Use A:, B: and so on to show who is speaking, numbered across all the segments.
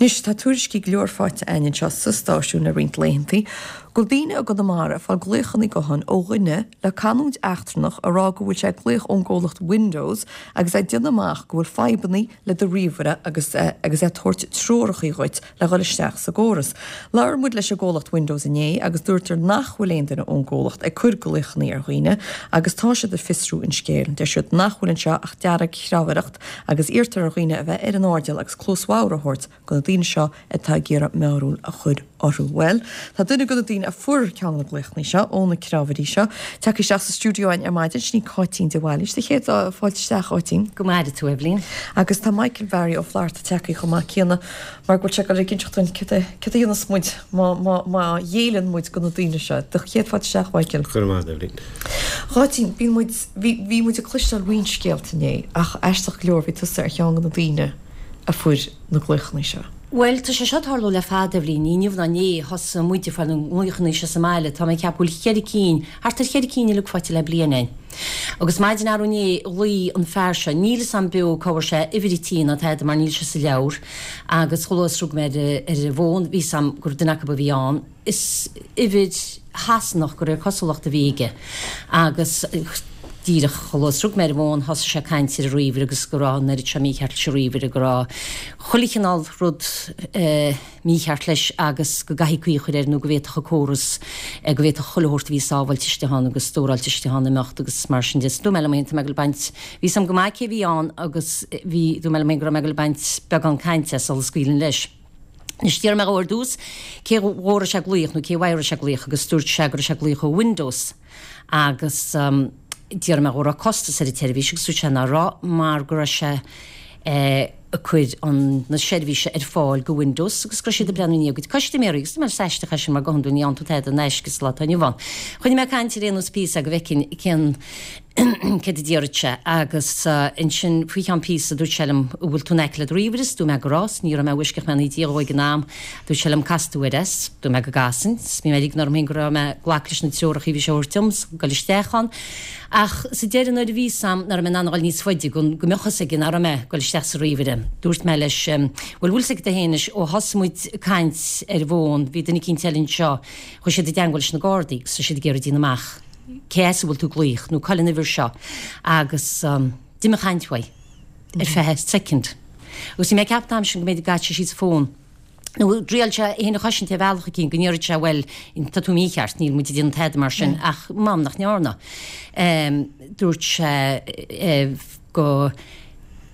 A: Anois, tá tuairiscí go leor faighte againn anseo sa stáisiún le roinnt laethantaí go bhfuil daoine i gConamara ag fáil glaochanna gutháin ó dhuine le canúint eachtrannach ag rá go bhfuil sé ag glaoch ón gcomhlacht Windows agus é ag déanamh amach go bhfuil fadhbannaí le do ríomhaire agus agus é ag tabhairt treorachaí dhuit le dhul isteach sa gcóras. Labhair muid leis an gcomhlacht Windows inné agus dúrtar nach bhfuil aon duine ón gcomhlacht ag cur glaochannaí ar dhaoine agus tá siad ag fiosrú an scéil. Deir siad nach bhfuil anseo ach dearg-chreamhaireacht agus iarrtar ar dhaoine a bheith ar an airdeall agus cluas bhodhar a thabhairt do na daoine seo atá ag iarraidh mearbhall a chur orthu. Bhuel, tá duine de na daoine a fuair ceann de na glaochannaí seo ó na creamhairí seo tagtha isteach sa stiúideo againn ar maidin, sin í Cáitín de Bhailís. Do chéad fáilte isteach, a Cháitín.
B: Go maire tú, Eibhlín.
A: Agus tá Michael Bharry Ó Flatharta tagtha chomh maith céanna mar go bhfuil sé ag dul ag inseacht dúinn céard a céard a dhéanas muid má má má ghéilleann muid do na daoine seo. Do chéad fáilte isteach, Mhichael.
C: Go raibh maith agat, Eibhlín.
A: Cháitín, bíonn muid, bhí, bhí muid ag cloisteáil roinnt scéalta inné ach aisteach go leor bhí tusa ar cheann de na daoine a fuair na glaochanna seo.
B: Bhuel, tá sé seo ag tarlú le fada, Eibhlín. Ní inniu ná inné a thosaigh muid ag fáil na nglaochanna seo sa mbaile. Tá mé ag ceapadh go bhfuil cheithre cinn, thart ar cheithre cinn uilig faighte le bliain againn. Agus maidin arú inné ghlaoigh an fear seo, níl fhios a'm beo cá bhfuair sé uimhir an tí ná tada mar níl sé sa leabhar, agus chomh luath is rug mé ar ar an bhfón bhí fhios a'm gur duine acu a bhí ann. Is uimhir Shasanach de réir cosúlachta a bhí aige agus díreach chomh luath is rug mé ar an bhfón thosaigh sé ag caint ar an ríomhaire agus go raibh an oiread seo mícheart leis an ríomhaire, go raibh chuile chineál rud mícheart leis agus go gcaithfí caoi a chur air nó go bhféadfadh an córas, go bhféadfadh chuile shórt a bhí sábháilte istigh ann agus stóráilte istigh ann imeacht agus mar sin de. Dúirt mé liom féin tá mé ag dul ag baint, bhí fhios a'm go maith cé a bhí ann agus bhí, dúirt mé liom féin go raibh mé ag dul ag baint beagán cainte as sula scaoilfinn leis. Anois d'fhiafraigh mé dhó ar dtús cé dhó a raibh sé ag glaoch nó cé uaidh a raibh sé ag glaoch agus dúirt sé go raibh sé ag glaoch ó Windows agus d'fhiafraigh mé dhó an raibh costas ar an tseirbhís agus dúirt sé ná raibh mar go raibh sé ag cur an na seirbhíse ar fáil go Windows agus go raibh siad ag breathnú i ndiaidh a gcuid custaiméirí agus dúirt mé is aisteach é sin mar go hiondúil ní fhaigheann tú tada in aisce sa lá atá inniu ann. Choinnigh mé ag caint ar aon nós píosa go bhfeicfinn cén céard a déarfadh sé agus ansin faoi cheann píosa dúirt sé liom an bhfuil tú in aice le do ríomhaire 's dúirt mé go raibh 's ní raibh mé i bhfoisceacht mé i ndiaidh dhó ag an am dúirt sé liom casfaidh tú air é 's dúirt mé go gcasfainn 's bhí mé ag ligean orm féin go raibh mé ag glacadh leis na treoracha a bhí sé a thabhairt dom 's goil isteach ann ach sa deireadh nuair a bhí 'fhios a'm nach raibh mé in ann a ghoil níos faide go go mbeadh fhios aige nach raibh mé ag goil isteach sa ríomhaire dúirt mé leis bhuel bhfuil 'fhios agat féin anois ó thosaigh muid ag caint ar an bhfón bhí duine eicínt eile anseo chuaigh siad i dteangmháil leis na Gardaí agus tá siad ag iarraidh déanamh amach cé as a bhfuil tú ag glaoch nó cá bhfuil an uimhir seo agus d'imigh an chaint uaidh ar feadh soicind. Agus bhí mé ag ceapadh an t-am sin go mb'fhéidir go gcaithfeadh sé síos an fón nó thriail sé é féin a chosaint ar bhealach eicínt go ndéarfadh sé bhuel tá tú mícheart níl muid ag déanamh tada mar sin ach m'anam nach ndearna. Dúirt sé go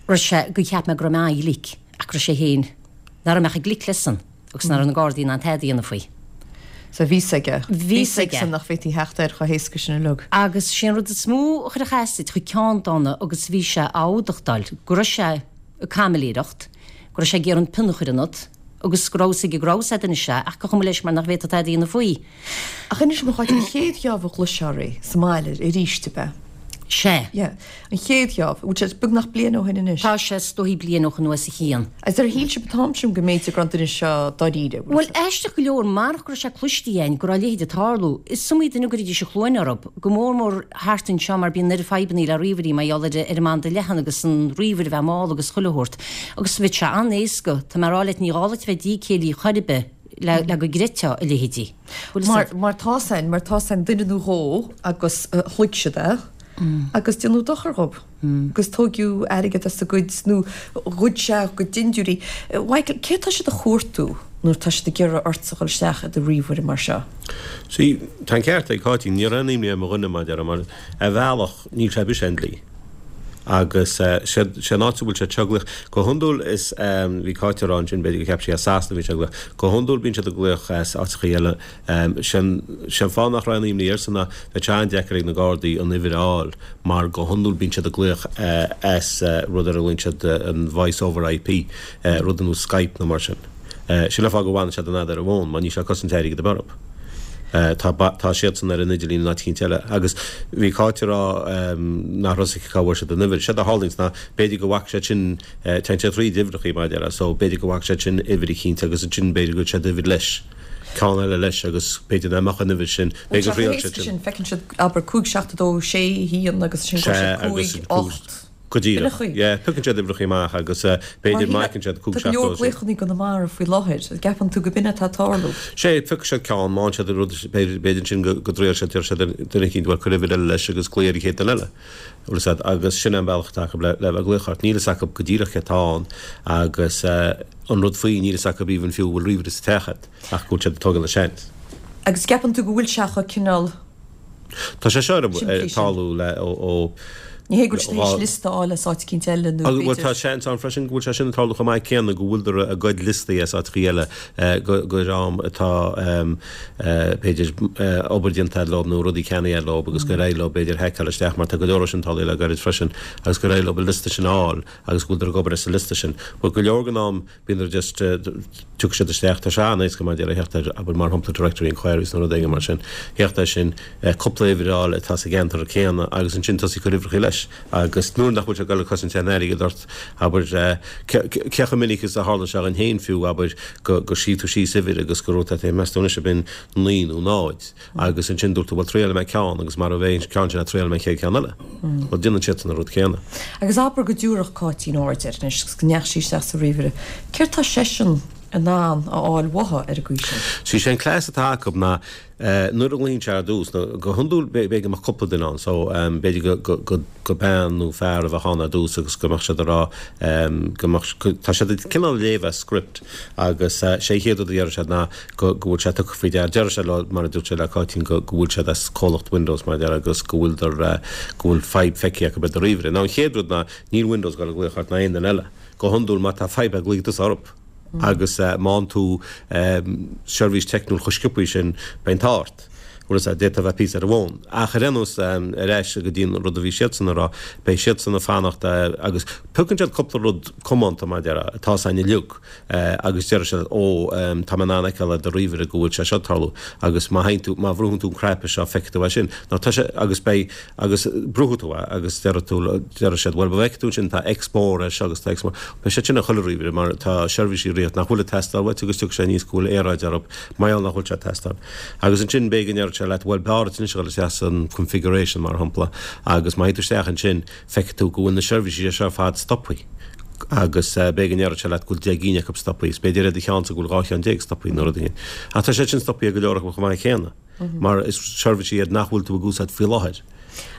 B: raibh sé go cheap mé go raibh mé an-ghlic ach go raibh sé féin nach raibh mé ach chomh glic leis-san. agus nach raibh na Gardaí in ann tada a dhéanamh faoi.
A: So bhí 'fhios aige. Bhí 'fhios aige nach bhféadfaí theacht air chomh héasca sin uilig.
B: Agus sé an rud is mó a chuirfeadh as duit, chuaigh ceann dána agus bhí sé á fhuadachtáil, go raibh sé ag caimiléireacht, go raibh sé ag iarraidh an pian a chur ionat, agus go raibh 'fhios aige go raibh 'fhios a'd anois é, ach gur chuma leis mar nach bhféadfá tada a dhéanamh faoi.
A: Ach inis dom a Cháit, an chéad gheábh a chloisfeá é sa mbaile arís, ab ea?
B: Sea.
A: Yeah. An chéad gheábh. Bhfuil sé beagnach bliain ó shin anois?
B: Tá sé is dóichí bliain ó shin nó os a chionn.
A: Agus ar shíl sibh an t-am sin go mb'fhéidir go raibh an duine seo dáiríre?
B: Bhuel, aisteach go leor, marach go raibh sé cloiste againn go raibh a leithéid ag tarlú, is iomaí duine a gcuiridís an chluain orthu, go mór mór thart anseo mar bíonn an oiread fadhbannaí le ríomhairí mar gheall ar an mbanda leathan agus an ríomhaire a bheith mall agus chuile shórt. Agus bheadh sé an-éasca, tá mé a rá leat, ní gá duit a bheith dícéillí chor ar bith le go gcreidfeá a leithéidí.
A: Mar, mar tá 'fhios a'inn, mar tá 'fhios a'inn duine nó dhó agus shloig siad é agus déanadh dochar dhób agus tóigeadh airgead as a gcuid nó ghoid sé a gcuid dindiúirí. Mhichael, cé tá siad a chuartú nuair tá siad ag iarraidh ortsa dhul isteach i do ríomhaire mar seo?
C: See, tá an ceart ag Cáitín, ní raibh aon imní ar mo dhuine mar a déarfá, mar ar bhealach níl sé ar bith sé an dlí. Agus sé an áit a bhfuil siad seo ag glaoch, go hiondúil is, bhí Cáit ag rá ansin b'fhéidir gur cheap sí as Sasana a bhí siad ag glaoch, go hiondúil bíonn siad ag glaoch as áiteachaí eile. Sé an fáth nach raibh aon imní airse ná bheadh sé an-deacair ag na Gardaí an uimhir a fháil mar go hiondúil bíonn siad ag glaoch as rud ar a nglaonn siad an Voice over IP, rud ar nós Skype nó mar sin. Sin an fáth go bhfanann siad an fhad ar an bhfón mar níl sé ag cosaint airgead ar bith orthu. Tá, tá siadsan ar an idirlíon in áit eicínt eile. Agus bhí Cáit ag rá nach raibh 'fhios aici cá bhfuair siad an uimhir. Séard a tharlaíonns ná b'fhéidir go bhfaca siad sin, téann siad thríd uimhreachaí mar a déarfá, so b'fhéidir go bhfaca siad sin uimhir eicínt agus ansin b'fhéidir go bhfuil siad uimhir leis, ceann eile leis agus b'fhéidir nach mbeadh an uimhir sin,
A: b'fhéidir gur thriail siad sin. Feiceann siad, abair, 5, 7, 2, 6, 1 agus ansin go bhfuil siad 5, 8.
C: Go díreach. Yeah, piocann siad uimhreacha amach agus b'fhéidir má fheiceann siad 5
A: Tá go leor glaochanna i gConamara faoi láthair. An gceapann tú go b'in atá ag tarlú?
C: Sé, piocfaidh siad ceann, má fhaigheann siad rud, b'fhéidir ansin go dtriail siad, deir siad duine eicínt, bhuel cuir uimhir eile leis agus glaoigh ar an chéad duine eile. Bhfuil fhios a'd, agus sin é an bealach atá acu le bheith ag glaoch ort. Níl fhios acu go díreach cé atá ann agus an rud faoi, níl fhios acu even fiú an bhfuil ríomhaire sa teach a'd ach go bhfuil siad ag tógáil an seans.
A: Agus ceapann tú go bhfuil sé chomh cineál.
C: Tá sé seo ag tarlú le ó.
A: Ní hé go bhfuil siad tar éis liosta a fháil as áit eicínt eile nó
C: b'fhéidir. Bhuel tá seans ann freisin go bhfuil sé sin ag tarlú chomh maith céanna go bhfuileadar ag goid liostaí as áiteachaí eile go dream atá b'fhéidir obair déanta leo nó rudaí ceannaithe leo agus gur éirigh leo b'fhéidir haiceáil isteach mar tá go leor sin tarlaithe le gairid freisin agus gur éirigh leo an liosta sin a fháil agus go bhfuileadar ag obair as an liosta sin. But go leor den am Bíonn just, tiocfaidh siad isteach, tá sé an-éasca mar a déarfá theacht ar, abair mar shampla directory inquiries nó rud éigin mar sin, theacht air sin, cúpla uimhir a fháil atá sa gceantar céanna agus ansin tosaí ag cur uimhreacha leis agus nuair nach bhfuil sé ag dul ag cosaint aon airgead ort, abair, cé chomh minic is a tharla sé dhuinn féin fiú, abair, go, gur scríobh tú síos uimhir agus go raibh tú ag meas tú anois ab in 9 nó 0. Agus ansin dúirt tú, bhuel, triailfidh mé ceann agus mara bhféadh an ceann sin, triailfidh mé an chéad cheann eile. Bhuel, déanann siadsan an rud céanna.
A: Agus abair go dtiúrfadh Cáitín aird air anois agus go ndeachaigh sí isteach sa ríomhaire, céard tá seisean in ann a fháil uathu ar an gcaoi sin?
C: Sea, sé an cleas atá acu ná nuair a ghlaonn sé ar dtús, nó go hiondúil b'fhéidir go mbeadh cúpla duine ann, so b'fhéidir go, go, go bean nó fear a bheadh ann ar dtús agus go mbeadh siad ag rá go mbeadh, tá siad ag cineál léamh as script agus sé an chéad rud a déarfaidh siad ná go bhfuil sé tugtha faoi deara. Déarfaidh sé leo, mar a dúirt sé le Cáitín, go bhfuil siad as comhlacht Windows, mar a déarfá, agus go bhfuil go bhfuil fadhb feicthe acu ar do ríomhaire. Now an chéad rud ná, níl Windows ag dul ag glaoch ort ná aon duine eile. Go hiondúil, má tá fadhb glaofaidh tusa orthu. Agus má fhaigheann tú seirbhís teicniúil chomh sciobtha sin, beidh an t-ádh ort. Bhfuil a fhios agat, d'fhéadfá a bheith píosa ar an bhfón. Ach ar aon nós, ar ais go dtí an rud a bhí siadsan a rá, beidh siadsan ag fanacht agus piocann siad cúpla rud comónta, mar a déarfá, atá 's againn uilig. agus déarfaidh siad ó tá mé in ann a fheiceáil ar do ríomhaire go bhfuil sé seo ag tarlú agus má théann tú, má bhrúnn tú an cnaipe seo feicfidh tú é sin. Nó tá sé, agus beidh, agus brúfaidh tú é agus déarfaidh tú, déarfaidh siad bhuel má bhfeicfidh tú ansin tá X mór air seo agus tá X mór. Beidh sé sin ar chuile ríomhaire mar tá seirbhísí ag rith nach bhfuil ag teastáil uait agus tiocfaidh sé aníos go bhfuil earráid orthu mar gheall nach bhfuil sé ag teastáil. Agus ansin b'fhéidir go ndéarfaidh sé leat bhuel b'fhearr duit anois a dhul isteach san configuration mar shampla agus má théann tú isteach ansin feicfidh tú go bhfuil na seirbhísí seo ar fad stoptha agus b'fhéidir go ndéarfaidh sé leat go bhfuil 10 gcinn acu stoptha is b'fhéidir ar do cheannsa go bhfuil 12 cheann stoptha nó rud éigin. Ach tá siad sin stoptha ag go leor acu chomh maith céanna mar is seirbhísí iad nach bhfuil tú ag úsáid faoi láthair.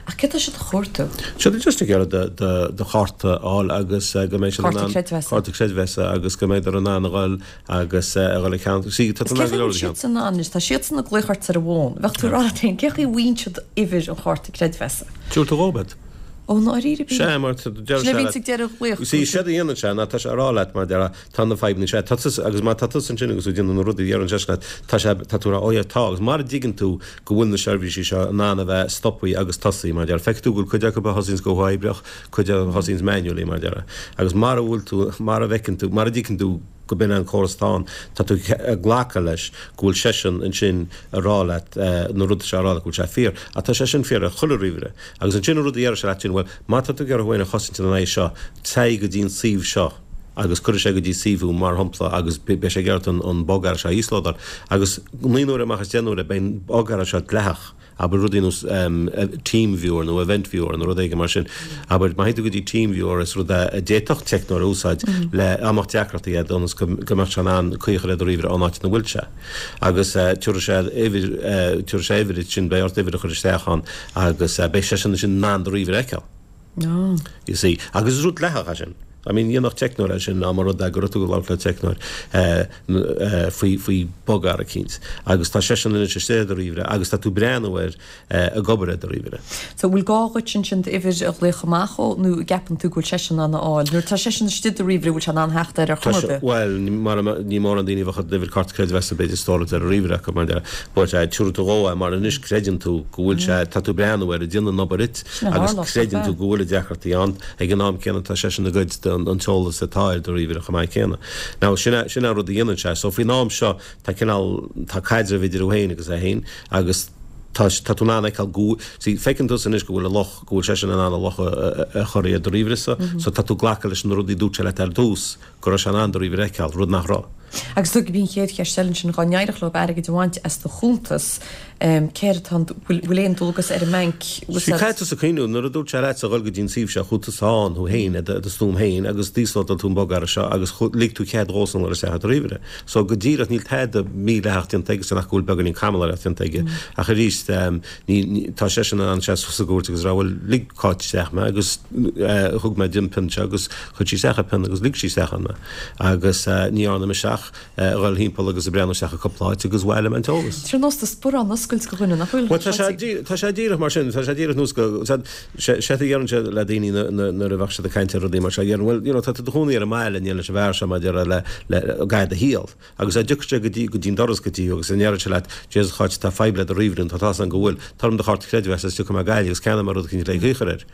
A: Ach céard tá siad a chuartú?
C: Siad just ag iarraidh do chárta a fháil agus go mbeidh siad in
A: ann. Cárta creidmheasa.
C: Cárta creidmheasa agus go mbeidh in ann a dhul agus a dhul ag ceann. See, tá
A: tú in ann go leor a cheann. Is cé chaoi a bhfuil siadsan in ann anois, tá siadsan ag glaoch ort ar an bhfón. Bheadh tú ag rá leat féin, cé chaoi a bhfaigheann siad uimhir an chárta creidmheasa?
C: Tabhair tú dhób iad.
A: Ó, ndáiríre
C: píre. Sea, mar deir
A: Sin a bhíonns ag deireadh glaoch.
C: See, séard a dhéanann sé ná tá sé ag rá leat mar deir tá na fadhbanna sea, tá tusa, agus má tá tusa ansin agus tú ag déanamh na rudaí a deireann seisean leat, tá sé, tá tú ag rá, oh yeah, tá, agus mara dtuigeann tú go bhfuil na seirbhísí seo in ann a bheith stoptha agus tosaithe, mar deir, feicfidh tú go bhfuil cuid acu a thosaíonns go huathoibríoch, cuid a thosaíonns manually, mar deir. Agus mara bhfuil tú, mara bhfeiceann tú, mara dtuigeann tú go b'in an córas atá ann, tá tú ag glacadh leis go bhfuil seisean ansin ag rá leat na rudaí seo a rá leat go bhfuil sé fíor. Ach tá sé sin fíor ar chuile ríomhaire. Agus ansin an rud a déarfaidh sé leat sin, bhuel, má tá tú ag iarraidh thú féin a chosaint ina aghaidh seo, téigh go dtí an suíomh seo agus cuirfidh sé go dtí suíomh thú, mar shampla, agus beidh sé ag iarraidh an bogearra seo a íoslódáil. Agus 9 n-uaire amach as 10 n-uaire beidh an bogearra seo dleathach. Abair rudaí ar nós TeamViewer nó Event Viewer nó rud éigin mar sin. Abair, má théann tú go dtí TeamViewer is rud é a d'fhéadfadh teicneoir a úsáid le dá mbeadh deacrachtaí agat ionas go mbeadh sé in ann caoi a chur ar do ríomhaire ón áit ina bhfuil sé. Agus tabharfaidh sé uimhir, tabharfaidh sé uimhir duit sin, beidh ort uimhir a chur isteach ann agus beidh seisean ansin in ann do ríomhaire a fheiceáil. You see. Agus is rud dleathach é sin. I mean, dhéanfadh teicneoir é sin dá mba rud é go raibh tú ag labhairt le teicneoir faoi, faoi bogearra eicínt. Agus tá seisean anois istigh ar do ríomhaire agus tá tú breathnú air ag obair ar do ríomhaire.
A: So, bhfuil gá dhuit ansin d'uimhir a ghlaoch amach dhó nó an gceapann tú go bhfuil seisean in ann a fháil? Nuair atá seisean istigh i do ríomhaire, bhfuil sé in ann theacht air ar chuma ar bith?
C: Bhuel, mar ní mórán daoine a bheadh a n-uimhir cárta creidmheasa b'fhéidir stóráilte ar a ríomhaire acu mar deir, but tabharfaidh tú dhó é mar anois creideann tú go bhfuil sé, tá tú breathnú air ag déanamh an obair duit. Agus creideann tú go bhfuil deacrachtaí ann, ag an am céanna tá seisean ag goid an t-eolas atá ar do ríomhaire chomh maith céanna. Now sin é, sin é an rud a dhéanann sé. So faoin am seo tá cineál, tá caidreamh idir thú féin agus é féin agus tá, tá tú in ann a fheiceáil go, see, feiceann tusa anois go bhfuil a luch, go bhfuil seisean in ann a luch a chur ar do ríomhaire-sa, so tá tú ag glacadh leis na rudaí a dúirt sé leat ar dtús go raibh sé in ann do ríomhaire a fheiceáil, rud nach raibh.
A: Agus b'in an chéad cheist eile ansin, dhá n-éireodh leo airgead a bhaint as do chuntas. Céard atá an, bhfuil aon dualgas ar an mbanc?
C: Sea, caithfidh tusa cuimhniú, nuair a dúirt sé leatsa dhul go dtí an suíomh seo, chuaigh tusa ann thú féin i do stuaim féin agus d'íoslódáil tú an bogearra seo agus lig tú cead dhósan dhul isteach i do ríomhaire. So go díreach níl tada mídhleathach déanta aigesan ach go bhfuil beagáinín camalaireacht déanta aige. Ach arís, ní, tá seisean in ann seasamh sa gcúirt agus rá bhuel lig Cáit isteach mé agus thug mé di an pin seo agus chuir sí isteach an pin agus lig sí isteach ann mé. Agus ní dhearna mise ach. a dhul thimpeall agus ag breathnú isteach i cúpla áit agus bhailigh mé an t-eolas.
A: Tá sé ar nós do sparán a oscailt go dhuine, nach bhfuil?
C: Bhuel, tá sé, tá sé díreach mar sin, tá sé díreach nós go, sé, sé a dheireann sé le daoine nuair a bheadh siad ag caint ar rudaí mar seo, dheireann, bhuel, you know, tá tú i do chónaí ar an mbaile, níl leis an bhfear seo maidir le, le, le do shaol. Agus dá dtiocfadh sé go dtí, go dtí an doras go dtí thú agus a ndéarfadh sé leat, Jesus a Cháit, tá fadhb le do ríomhaire, tá tá's agam go bhfuil, tabhair dom do chárta creidmheasa is tiocfaidh mé ag Gaillimh agus ceannóidh mé rud eicínt le caoi a chur air.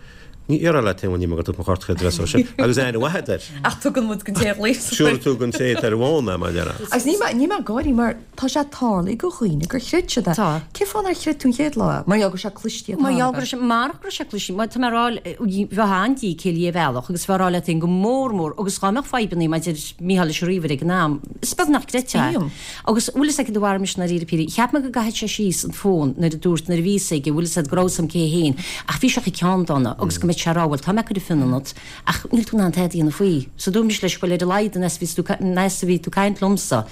C: Ní déarfá leat féin, bhuel, níl mé ag tabhairt mo chárta creidmheasa ó sin, agus aithne mhaith agat air.
A: Ach tugann muid don té a ghlaos.
C: Siúlfaidh tú don té atá ar an bhfón é, mar a déarfá.
A: Agus níl mé, níl mé ag gáirí mar tá sé tarlaithe go dhaoine gur chreid siad é.
B: Tá.
A: Cén fáth nár chreid tú an chéad lá é? Mar gheall go raibh sé clistí
B: Mar gheall go raibh sé, marach go raibh sé clistí, mar tá mé ag rá, bheifeá an-dícéillí ar bhealach agus bheifeá ag rá leat féin go mór mór agus dhá mbeadh fadhbannaí maidir Mícheál leis an ríomhaire ag an am, is beag nach gcreidfeá é.
A: Bíonn.
B: Agus bhfuil fhios agat cad a mharaigh mise ndáiríre píre, cheap mé go gcaithfeadh sé síos an fón nuair a dúirt, nuair a bhí fhios aige, bhfuil fhios agat go raibh fhios a'm cé féin, ach bhí sé chomh ceanndána agus go mbeadh sé a rá bhuel tá mé ag cur an phian ionat ach níl tú in ann tada a dhéanamh faoi. So dúirt mise leis bhuel ar a laghad an fhad is a bhí tú ag caint liomsa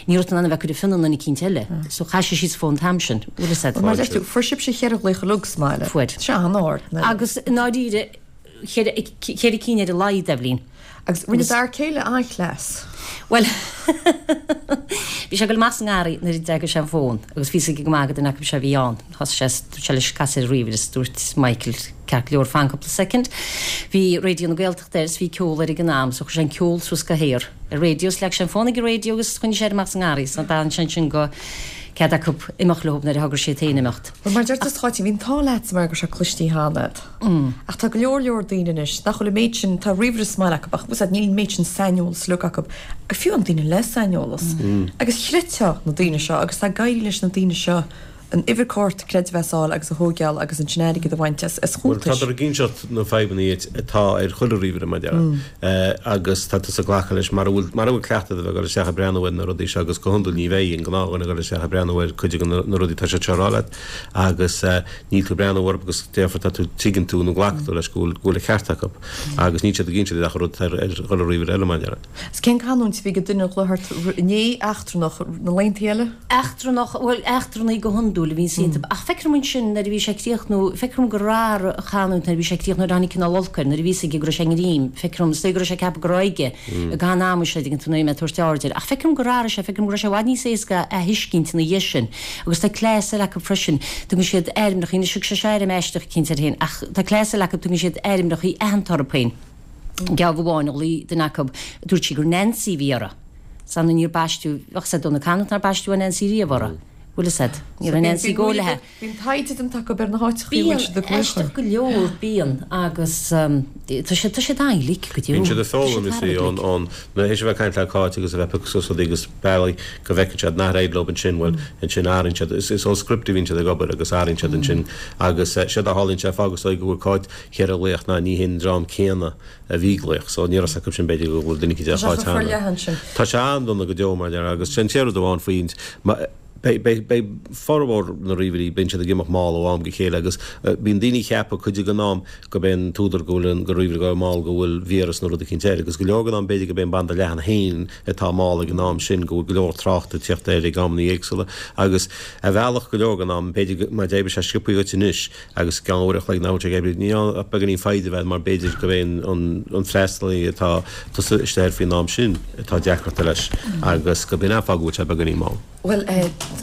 B: ní raibh tú in ann a bheith ag cur an phian i nduine eicínt eile. So chaith sé síos an fón an t-am sin, bhfuil fhios agat.
A: Mar a deir tú, fuair sibhse cheithre ghlaoch uilig sa mbaile.
B: Fuair.
A: Sé an-ard.
B: Agus i ndáiríre, cheithre cinn ar a laghad, Eibhlín.
A: Agus rinne d'fhear céile an-chleas.
B: Bhuel, bhí sé ag dul amach sa ngarraí nuair a d'fhreagair sé an fón agus bhí fhios aige go maith gur duine acu seo a bhí ann. Thosaigh sé, dúirt sé leis casadh ar an ríomhaire is dúirt Michael, ceart go leor, fan cúpla soicind. Bhí Raidió na Gaeltachta air is bhí ceol air ag an am so chuir sé an ceol suas go haer ar raidió is leag sé an fón ag an raidió agus choinnigh sé air amach sa ngarraí so d'fhan sé ansin go cead acu imeacht leo nuair a thogair siad féin imeacht.
A: Bhuel, mar a deir tú, a Cháit, bhí an t-ádh leatsa mar go raibh sé clistí cheana agat. Ach tá go leor leor daoine anois nach bhfuil an méid sin, tá ríomhaire sa mbaile acu ach bhfuil 's a'd níl an méid sin saineolas uilig acu, fiú an daoine le saineolas. Agus chreidfeá na daoine seo agus tá ag éirí leis na daoine seo an uimhir cárta creidmheasa a fháil agus a thóigeáil agus ansin airgead a bhaint as
C: Bhuel,
A: chuntais.
C: tádar ag inseacht na fadhbanna atá ar chuile ríomhaire, mar a déarfá, agus tá tusa ag glacadh leis mara bhfuil, mara bhfuil cleachtadh a bheith ag dul isteach ag breathnú ar na rudaí seo agus go hiondúil ní bheidh an gnáthdhuine ag dul isteach ag breathnú ar cuid de na rudaí atá siad seo a rá leat agus níl tú ag breathnú orthu agus déarfá tá tú tuigeann tú nó glacann tú leis go bhfuil go bhfuil an ceart acu agus níl siad ag inse duit ach an rud atá ar ar chuile ríomhaire eile mar a déarfá.
A: Is cén canúint a bhí ag an duine a ghlaoigh ort inné, eachtrannach, na laethanta eile?
B: Eachtrannach, bhuel eachtrannaí go hiondúil a bhíonns iontu ach feictear dom ansin nuair a bhí sé ag críochnú, feictear dom gur athraigh a chanúint nuair a bhí sé ag críochnú nuair a tháinig cineál olc air, nuair a bhí fhios aige go raibh sé i ngreim, feictear dom, is dóigh go raibh sé ag ceapadh go raibh aige i gcaitheamh an ama seo, tuigeann tú, nuair a bhí mé ag tabhairt aird air. Ach feictear dom gur athraigh sé, feictear dom go raibh sé i bhfad níos éasca a thuiscint ina dhiaidh sin. Agus tá cleas eile acu freisin, tugann siad ainmneachaí, anois thug sé seo ainm aisteach eicínt air féin, ach tá cleas eile acu, tugann siad ainmneachaí aitheanta orthu féin. Geábh amháin a ghlaoigh duine acu, dúirt sí gur Nancy a bhí uirthi. 'S ar ndóigh níor baisteadh, bheadh 's a'd ó na canúint nár baisteadh an Nancy riamh uirthi. Bhfuil 'fhios a'd? Ní raibh Nancy go léithe.
A: Bíonn taighde déanta acu ar na háiteachaí a bhfuil siad ag glaoch
B: Bíonn, aisteach go leor, bíonn, agus tá siad, tá siad an-ghlic go deo.
C: Bíonn siad ag foghlaim, you see, ón, ón, nuair théis a bheith ag caint le Cáit agus a bheith ag piocadh suas rudaí agus bealaí go bhfeiceann siad nach éiríonn leo ansin, bhuel, ansin athraíonn siad, is, is ón script a bhíonn siad ag obair agus athraíonn siad ansin agus séard a tharlaíonn sé, fág is dóigh go bhfuil Cáit cheithre ghlaoch ná ní hé an dream céanna a bhí ag glaoch, so ní raibh 's acu sin b'fhéidir go bhfuil duine eicínt ar
A: Tá sé
C: Cháit
A: chomh
C: cheana.
A: forleathan sin.
C: Tá sé an-dona go deo mar a déarfá agus sin an rud amháin faoi, Beidh formhór na ríomhairí, bíonn siad ag imeacht mall ó am go chéile agus bíonn daoine ag ceapadh cuid den am gurb é an t-údar go bhfuil an ríomhaire ag gabháil mall go bhfuil víreas nó rud eicínt air agus go leor den am b'fhéidir gurb é an banda leathan féin atá mall ag an am sin go bhfuil go leor tráchta ag teacht air ag amannaí éagsúla agus ar bhealach go leor den am b'fhéidir má d'oibrigh sé sciobthaí dhuit anois agus i gceann uair a chloig nach bhfuil sé ag oibriú. Ní ach beagáinín foighde a bheith mar b'fhéidir gurb é an freastalaí atá tusa istigh air faoin am sin atá deacrachta leis agus gurb in an fáth go bhfuil sé beagáinín mall.
A: Bhuel,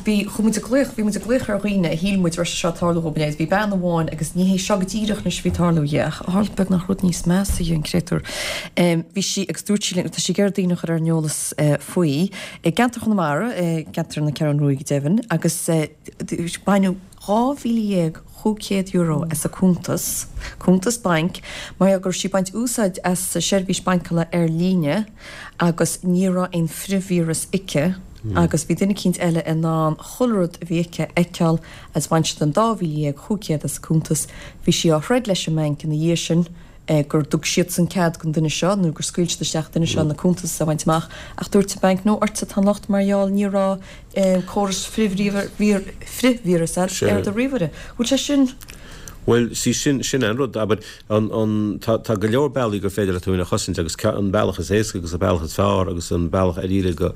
A: bhí, chuaigh muid ag glaoch, bhí muid ag glaoch ar dhaoine a shíl muid raibh sé seo ag tarlú dhóibh inné. Bhí bean amháin agus ní hé seo go díreach anois a bhí ag tarlú dhi ach tharla beagnach rud níos measa dhi, an créatúr. Bhí sí, agus dúirt sí linn, tá sí ag iarraidh daoine a chur ar an eolas faoi, i gceantar Chonamara, i gceantar na Ceathrún Ruaidh go deimhin, agus baineadh, €12,500 as a cuntas, cuntas bainc, mar gheall go raibh sí ag baint úsáid as seirbhís baincála ar líne agus ní raibh aon frithvíreas aici agus bhí duine eicínt eile in ann chuile rud a bhí aici a fheiceáil agus bhain siad an 12,500 as a cuntas. Bhí sí á throid leis an mbanc ina dhiaidh sin. gur thug siadsan cead don duine seo nó gur scaoil siad isteach an duine seo na cuntais a bhaint amach ach dúirt an banc no ortsa atá an locht mar gheall ní raibh córas frithvíreas ar do ríomhaire. Bhfuil sé sin.
C: Bhuel, sí, sin, sin an rud, abair, an, an, tá, tá go leor bealaí gur féidir leat tú féin a chosaint agus an bealach is éasca agus an bealach is fearr agus an bealach ar iarraidh go,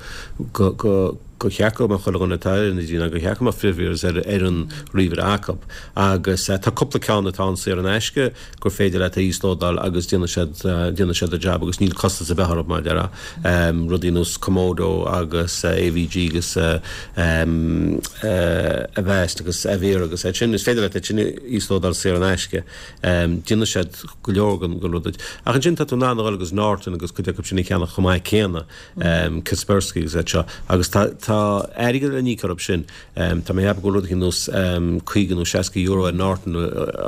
C: go, go, go cheart go mbeadh chuile dhuine atá ar an idirlíon ná gur cheart go mbeadh frithvíreas ar, ar an ríomhaire acu. Agus tá cúpla ceann atá ann saor in aisce gur féidir leat a íoslódáil agus déanfaidh siad, déanfaidh siad a jab agus níl costas ar bith orthu mar a déarfá. Rudaí nós Comodo agus AVG agus Avast agus Avira agus iad sin, is féidir leat iad sin a íoslódáil saor in aisce. Déanfaidh siad go leor den rud duit. Ach ansin tá tú in ann a dhul agus Norton agus cuid acu sin a cheannach chomh maith céanna, Kaspersky agus iad seo. Agus tá airgead le n-íoc orthu sin. Tá mé ag ceapadh go bhfuil rud éigin nós 50 nó 60 euro ar Norton a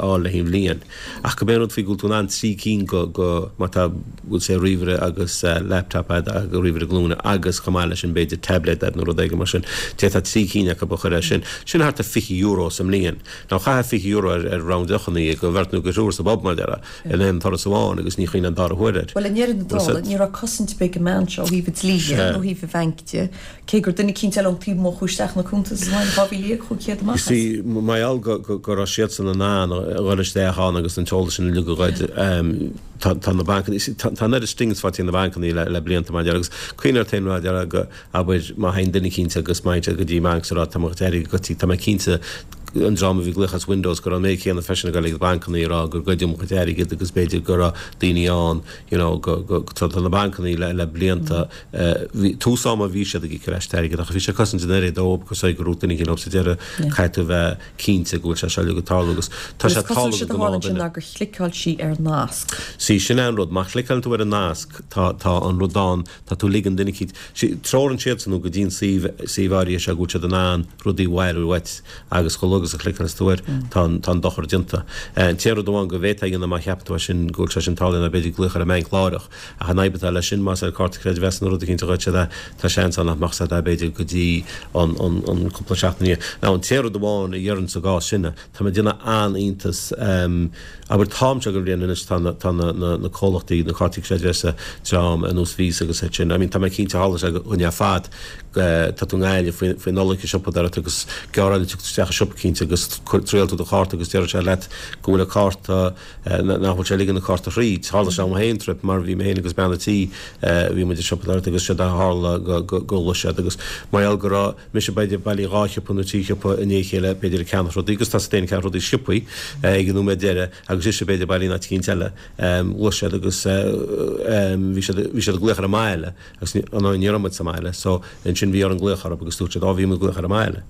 C: fháil le haghaidh an bhliain. Ach go bé an rud faoi go bhfuil tú in ann 3 cinn go, go, má tá, bhfuil sé ríomhaire agus laptop a'd agus ríomhaire glúine agus chomh maith leis sin b'fhéidir tablet a'd nó rud éigin mar sin, d'fhéadfá 3 cinn acu a chur air sin. Sin thart ar 20 euro sa mbliain. Now chaithfeá 20 euro ar ar round deochanna do bheirt nó do thriúr sa bpub mar a déarfá in aon turas amháin agus ní chuimhneofá an dara huair air.
A: Bhuel i ndeireadh na dála ní raibh cosaint ar bith ag an mbean seo ó thaobh an dlí de nó ó thaobh an bhainc de. Cé gur duine eicínt eile ón taobh amuigh a chuaigh isteach ina cuntas is bhain 12,500 amach as.
C: See, mar gheall go raibh siadsan in ann a dhul isteach ann agus an t-eolas sin uilig a ghoid, tá na bancanna, see, tá an oiread stings faighte ag na bancanna le blianta mar a déarfá agus cuimhnigh ort féin mar a déarfá go, abair, má théann duine eicínt agus má théann siad go dtí banc is a rá tá mo chuid airgid goidte, tá mé cinnte an dream a bhí ag glaoch as Windows go raibh an méid céanna freisin ag dul ag na bancanna ag rá gur goideadh mo chuid airgid agus b'fhéidir go raibh daoine ann, you know, go, go, tá na bancanna le blianta. Bhí tús ama bhí siad ag íoc ar ais airgead ach bhí sé ag cosaint an oiread dóibh agus go raibh duine éigin leo sa deireadh caithfidh tú bheith cinnte go bhfuil sé seo uilig ag tarlú agus tá sé
A: ag tarlú do ghnáth duine. gur chliceáil sí ar nasc.
C: Sí, sin é an rud, má chliceálann tú ar an nasc tá tá an rud ann, tá tú ag ligean duine eicínt, sí, treorann siadsan thú go dtí an suíomh, suíomh áirithe seo go bhfuil siad in ann rudaí a bhailiú uait agus chomh luath agus a chliceálas tú air tá an tá an dochar déanta. An t-aon rud amháin go bhféadfá a dhéanamh má cheapann tú é sin go bhfuil sé sin tarlaithe ná b'fhéidir glaoch ar an mbanc láithreach Ach an fhadhb atá leis sin, más ar cárta creidmheasa nó rud eicínt a ghoid siad é, tá seans ann nach mbeadh a fhios a'd b'fhéidir go dtí an an cúpla seachtain ina dhiaidh. Now an t-aon rud amháin a dhéarfainn sa gcás sin, tá mé ag déanamh an-iontas, abair an t-am seo den bhliain anois tá na tá na na na comhlachtaí, na cártaí creidmheasa, dream ar nós Visa agus iad sin, I mean tá mé cinnte tharla sé dhúinn ar fad, tá tú i nGaillimh faoi faoi Nollaig i siopadóireacht agus gearráil tú isteach i siopa eicínt agus triail tú do chárta agus déarfaidh sé leat go bhfuil an cárta nach bhfuil sé ag ligean an cárta thríd. Tharla sé dom féin trip mar bhí mé féin agus bean a' tí, bhí muid ag siopadóireacht agus séard a tharla go go ghlaoigh siad agus mar gheall go raibh mise b'fhéidir bailí dhá shiopa nó trí shiopa i ndiaidh a chéile b'fhéidir ag ceannach rudaí agus tá 's a'd féin ag ceannach rudaí sciobthaí ag an nóiméad deiridh agus ise b'fhéidir bailí in áit eicínt eile ghlaoigh siad agus bhí siad bhí siad ag glaoch ar an mbaile agus ní raibh muid sa mbaile so ansin bhí orainn glaoch orthu agus dúirt siad á bhí muid ag glaoch ar an mbaile.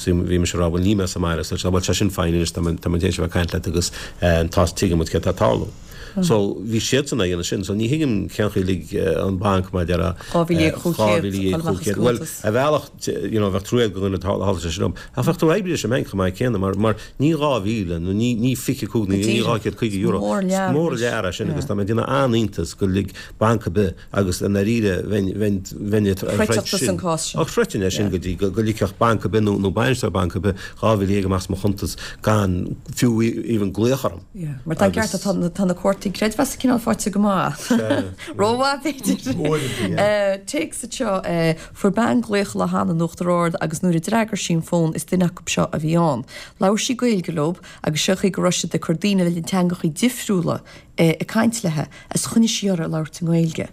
C: So bhí mise ag rá bhuel níl mé sa mbaile so bhuel tá sin fine anois tá mé tá mé tar éis a bheith ag caint leat agus tá tuigeann muid céard atá ag tarlú. So bhí siadsan ag déanamh sin so ní thuigim cén chaoi lig an banc mar a déarfá 12,500 bhuel ar bhealach you know bheadh trua do dhuine tharla sé sin dom ach bheadh tú oibrithe leis an mbanc chomh maith céanna mar mar ní 2,000 nó ní ní 25 nó ní 250 euro is mór an lear é sin agus tá mé ag déanamh an-iontas gur lig banc ar bith Agus i ndáiríre, bheinn, bheinn, bheinn ag troid sin. Ach throidfinn é sin go dtí go ligfeadh banc ar bith nó, nó bainisteoir banc ar bith 12,000 amach as mo chuntas gan fiú even glaoch orm.
A: Yeah, mar tá an ceart, tá, tá na cártaí creidmheasa cineál faighte go maith. Rómhaith, b'fhéidir.
D: Uaireanta, yeah.
A: Téacs anseo, Fuair bean glaoch lá cheana in Uachtar Ard agus nuair a d'fhreagair sí an fón is duine acu seo a bhí ann. Labhair sí Gaeilge leob agus seo chaoi go raibh siad ag cur daoine le teangachaí difriúla ag caint léithe is choinnigh sí uirthi ag labhairt i nGaeilge.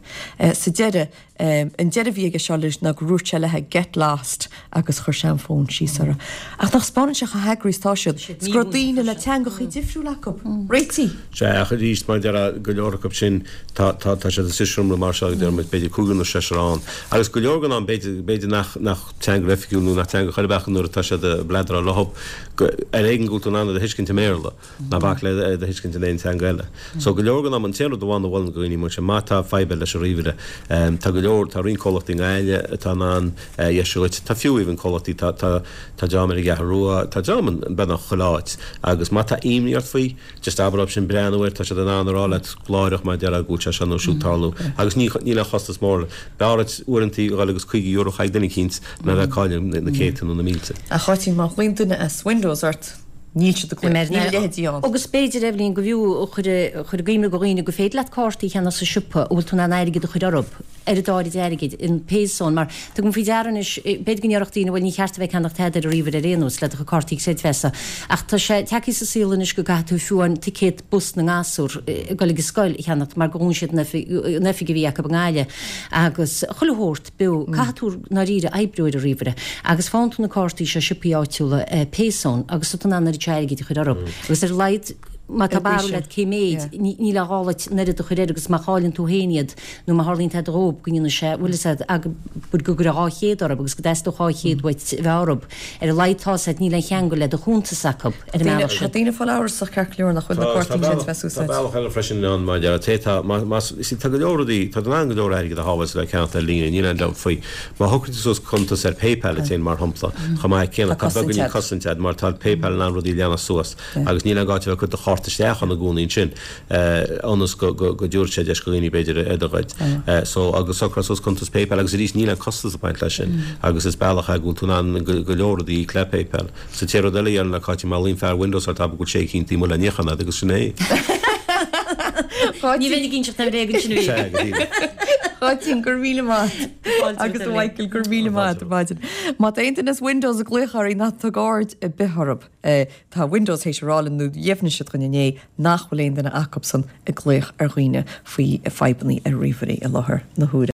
A: Sa deireadh, an deireadh a bhí aige seo leis ná gur dhúirt sé léithe 'get lost' agus chuir sé an fón síos uirthi. Ach nach spáineann sé chomh heagraithe is atá siad, is go raibh daoine le teangachaí difriúla acu. Réitithe!
C: Sea, ach arís, mar a déarfá, go leor acu sin, tá, tá, tá siad sa seomra mar seo, deir muid, b'fhéidir cúigear nó seisear ann. Agus go leor den am, b'fhéidir, b'fhéidir nach, nach teanga oifigiúil nó nach teanga chor ar bith acu nuair atá siad ag bladráil leo, go, ar éigean go bhfuil tú in ann iad a thuiscint i mBéarla. Ná bac le iad a thuiscint in aon teanga eile. So go leor den am, an t-aon rud amháin a mholfainn do dhaoine mar sin, má tá fadhb leis an ríomhaire, tá go leor, tá roinnt comhlachtaí i nGaillimh atá in ann é a dheisiú dhuit, tá fiú even comhlachtaí, tá, tá, tá dream ar an gCeathrú Rua, tá dream in beagnach chuile áit agus má tá imní ort faoi, just abair leo sin breathnú air, tá siad in ann a rá leat láithreach mar a déarfá go bhfuil sé seo nó siúd tarlú agus ní, níl aon chostas mór leis. B'fhearr duit uaireantaí a dhul agus €50 a chaitheamh ag duine eicínt ná bheith ag cailleadh na céadta nó na mílte.
A: Ach a Cháitín, má ghlaonn duine as Windows ort. Níl siad ag glaoch. Níl a leithéidí ann.
B: Agus b'fhéidir, Eibhlín, go bhfiú chur i gcuimhne do dhaoine gur féidir leat cártaí a cheannach sa siopa a bhfuil tú in ann airgead a chur orthu, oiread áirid airgid, in Payzone, mar tugaim faoi deara anois, b'fhéidir go ndéarfadh daoine, bhuel ní cheart a bheith ag ceannach tada ar an ríomhaire ar aon nós, le do chuid cártaí creidmheasa, ach tá sé tagtha sa saol anois go gcaithfidh tú fiú amháin ticéad bus na ngasúr ag dul ag an scoil a cheannacht mar gur dhún siad an oifig a bhí acu i nGaillimh agus chuile shórt. beo. Caithfidh tú i ndáiríre oibriú ar an ríomhaire agus faigheann tú na cártaí seo i siopaí áitiúla Payzone agus tá tú in ann an oiread seo airgid a chur orthu. Agus ar a laghad má tá barúil agat cé méid, níl a dhá duit an oiread a chur air agus má chailleann tú féin iad nó má tharlaíonn tada dhóib go ndéanfaidh sé, bhfuil fhios agat, abair go gcuirfeá 200 orthu agus go dteastódh 200 uait a bheith orthu. Ar a laghad tá fhios agat níl aon cheangal le do chuntas acu.
A: Ar an mbealach sin. Tá daoine ag fáil amhrasach ceart go leor nach bhfuil na cártaí creidmheasa
C: úsáidte. Tá bealach eile freisin ann mar deir té tá más tá go leor rudaí tá tú in ann go leor airgead a shábháil le ceannacht ar líne níl aon dabht faoi. Má shocraíonn tú suas cuntas ar PayPal duit féin mar shampla chomh maith céanna tá beagáinín cosaint agat mar tá PayPal in ann rudaí a leanacht suas agus níl aon gá duit a bheith ag cur do chárta isteach ann i gcónaí ansin ionas go dtabharfaidh sé deis do dhaoine b'fhéidir iad a ghoid. So agus socrófá suas cuntas PayPal agus arís níl aon costas ag baint leis sin agus is bealach é go bhfuil tú in ann go leor rudaí a íoc le PayPal. Sa té rud eile a dhéanann le Cáit má ghlaonn fear Windows ort abair go bhfuil sé eicínt taobh amuigh le níochán agat agus sin é.
B: Ní bheinn ag inseacht aon bhréag ansin a bhí.
C: Sea, go díreach.
A: Cáitín, go raibh míle maith agat. Agus a Mhichael, go raibh míle maith agat ar maidin. Má tá aon duine as Windows ag glaoch oraibh ná tug aird ar bith orthu. Tá Windows théis a rá linn nó dheimhnigh siad dhúinn inné nach bhfuil aon duine acubsan ag glaoch ar dhaoine faoi fadhbannaí ar ríomhairí i láthair na huaire.